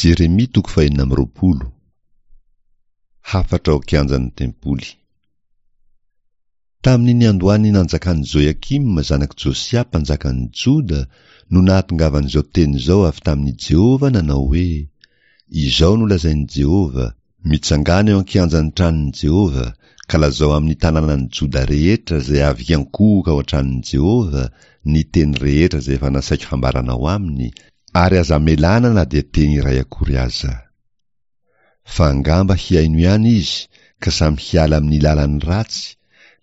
Jeremia toko fahenina amby 26. Hafatra ao an-kianjan'ny tempoly. Tamin'ny niandohan'ny nanjakan'i Joiakima zanak'i Josia mpanjakan'i Joda no nahatongavan'izao teny izao avy tamin'i Jehovah nanao hoe, Izao no lazain'i Jehovah, Mitsangàna eo an-kianjan'ny tranon'i Jehovah, ka lazao amin'ny tanànan'i Joda rehetra izay avy hiankohoka ao an-tranon'i Jehovah ny teny rehetra izay efa nasaiko hambaranao aminy, ary aza amelana na dia teny iray akory aza. Fa angamba hihaino ihany izy ka samy hiala amin'ny lalany ratsy,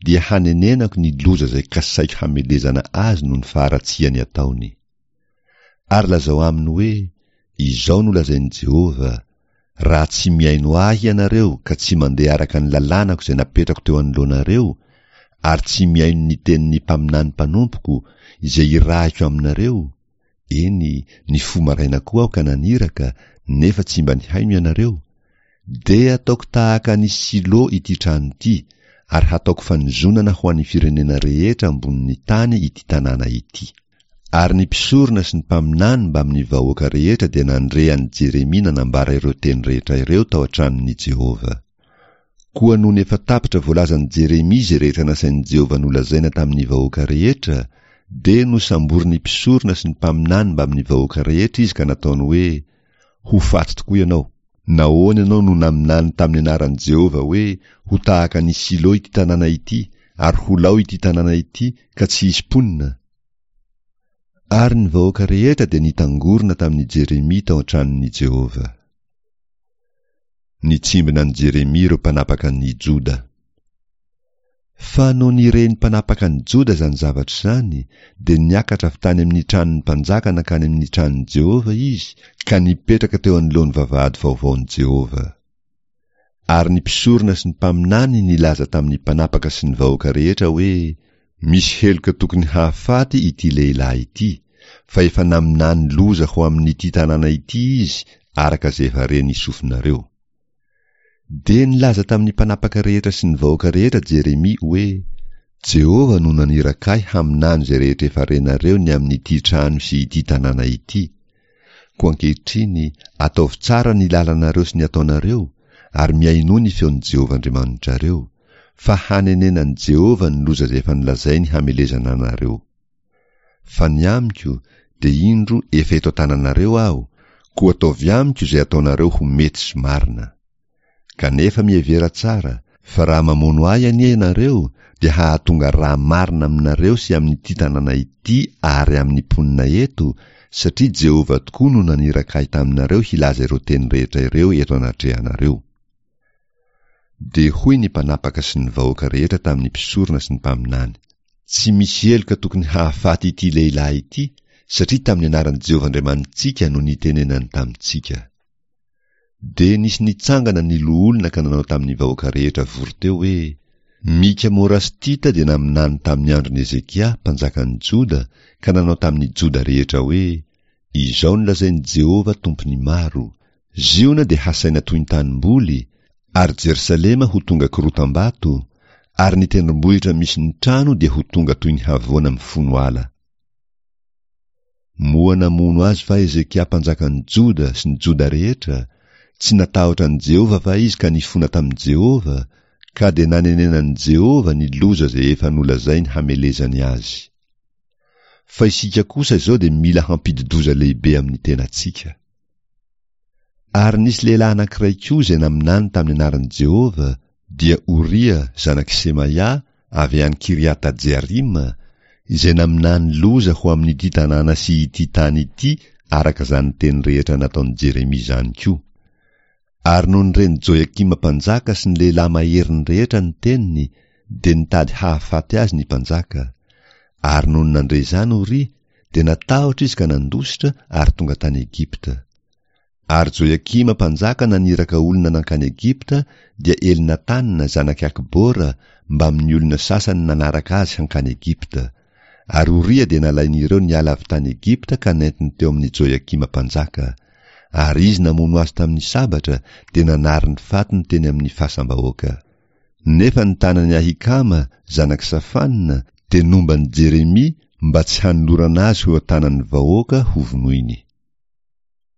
dia hanenenako ny loza izay kasaiko hamelezana azy noho ny faharatsiany ataony. Ary lazao aminy hoe, Izao no lazain'i Jehovah, Raha tsy mihaino ahy ianareo ka tsy mandeha araka ny lalànako izay napetrako teo anoloanareo, ary tsy mihaino ny tenin'ny mpaminany mpanompoko izay irahiko aminareo, eny, nifoha maraina koa aho ka naniraka, nefa tsy mba nihaino ianareo, dia hataoko tahaka an'i Silo ity trano ity, ary hataoko fanozonana ho an'ny firenena rehetra ambonin'ny tany ity tanàna ity. Ary ny mpisorona sy ny mpaminany mbamin'ny vahoaka rehetra dia nandre an'i Jeremia nanambara ireo teny rehetra ireo tao an-tranon'i Jehovah. Koa nony efa tapitra voalazan'i Jeremia izay rehetra nasain'i Jehovah nolazaina tamin'ny vahoaka rehetra, dia nosamborin'ny mpisorona sy ny mpaminany mbamin'ny vahoaka rehetra izy ka nataony hoe, Ho faty tokoa ianao! Nahoana ianao no naminany tamin'ny anaran'i Jehovah hoe ho tahaka an'i Silo ity tanàna ity ary ho lao ity tanàna ity ka tsy hisy mponina? Ary ny vahoaka rehetra dia nitangorona tamin'i Jeremia tao an-tranon'i Jehovah. Nitsimbina an'i Jeremia ireo mpanapaka an'i Joda. Fa nony ren'ny mpanapaka an'i Joda izany zavatra izany, dia niakatra avy tany amin'ny tranon'ny mpanjaka nankany amin'ny tranon'i Jehovah izy ka nipetraka teo anoloan'ny vavahady vaovaon'i Jehovah. Ary ny mpisorona sy ny mpaminany nilaza tamin'ny mpanapaka sy ny vahoaka rehetra hoe, Misy heloka tokony hahafaty ity lehilahy ity, fa efa naminany loza ho amin'ity tanàna ity izy araka izay efa ren'ny sofinareo. Dia nilaza tamin'ny mpanapaka rehetra sy ny vahoaka rehetra Jeremia hoe, Jehovah no naniraka ahy haminany izay rehetra efa renareo ny amin'ity trano sy ity tanàna ity. Koa ankehitriny, ataovy tsara ny lalanareo sy ny ataonareo, ary mihainoa ny feon'i Jehovah Andriamanitrareo, fa hanenenan'i Jehovah ny loza izay efa nolazainy hamelezana anareo. Fa ny amiko, dia indro efa eto an-tananareo aho, koa ataovy amiko izay ataonareo ho mety sy marina. Kanefa mihevera tsara, fa raha mamono ahy anie ianareo, dia hahatonga rà marina aminareo sy amin'ity tanàna ity ary amin'ny mponina eto, satria Jehovah tokoa no naniraka ahy taminareo hilaza ireo teny rehetra ireo eto anatrehanareo. Dia hoy ny mpanapaka sy ny vahoaka rehetra tamin'ny mpisorona sy ny mpaminany, Tsy misy heloka tokony hahafaty ity lehilahy ity, satria tamin'ny anaran'i Jehovah Andriamanitsika no nitenenany tamintsika. Dia nisy nitsangana ny loholona ka nanao tamin'ny vahoaka rehetra vory teo hoe, Mika Morastita dia naminany tamin'ny andron'i Hezekia, mpanjakan'ny Joda, ka nanao tamin'ny Joda rehetra hoe, Izao no lazain'i Jehovah Tompon'ny maro, Ziona dia hasaina toy ny tanimboly, ary Jerosalema ho tonga korotam-bato, ary ny tendrombohitra misy ny trano dia ho tonga toy ny havoana mifono ala. Moa namono azy va Hezekia mpanjakan'ny Joda sy ny Joda rehetra? Tsy natahotra an'i Jehovah va izy ka nifona tamin'i Jehovah, ka dia nanenenan'i Jehovah ny loza izay efa nolazainy hamelezany azy? Fa isika kosa izao dia mila hampidi-doza lehibe amin'ny tenantsika. Ary nisy lehilahy anankiray koa izay naminany tamin'ny anaran'i Jehovah, dia Oria zanak'i Semaia avy any Kiriata-jearima, izay naminany loza ho amin'ity tanàna sy ity tany ity araka izany teny rehetra nataon'i Jeremia izany koa. Ary nony ren'i Joiakima mpanjaka sy ny lehilahy maheriny rehetra ny teniny, dia nitady hahafaty azy ny mpanjaka. Ary nony nandre izany Oria, dia natahotra izy ka nandositra ary tonga tany Egypta. Ary Joiakima mpanjaka naniraka olona nankany Egypta, dia Elnatana zanak'i Akbora mbamin'ny olona sasany nanaraka azy hankany Egypta. Ary Oria dia nalain'ireo niala avy tany Egypta ka nentiny teo amin'i Joiakima mpanjaka. Ary izy namono azy tamin'ny sabatra, dia nanary ny fatiny teny amin'ny fasam-bahoaka. Nefa ny tanan'i Ahikama, zanak'i Safana, dia nomba an'i Jeremia mba tsy hanolorana azy ho eo an-tanan'ny vahoaka hovonoiny.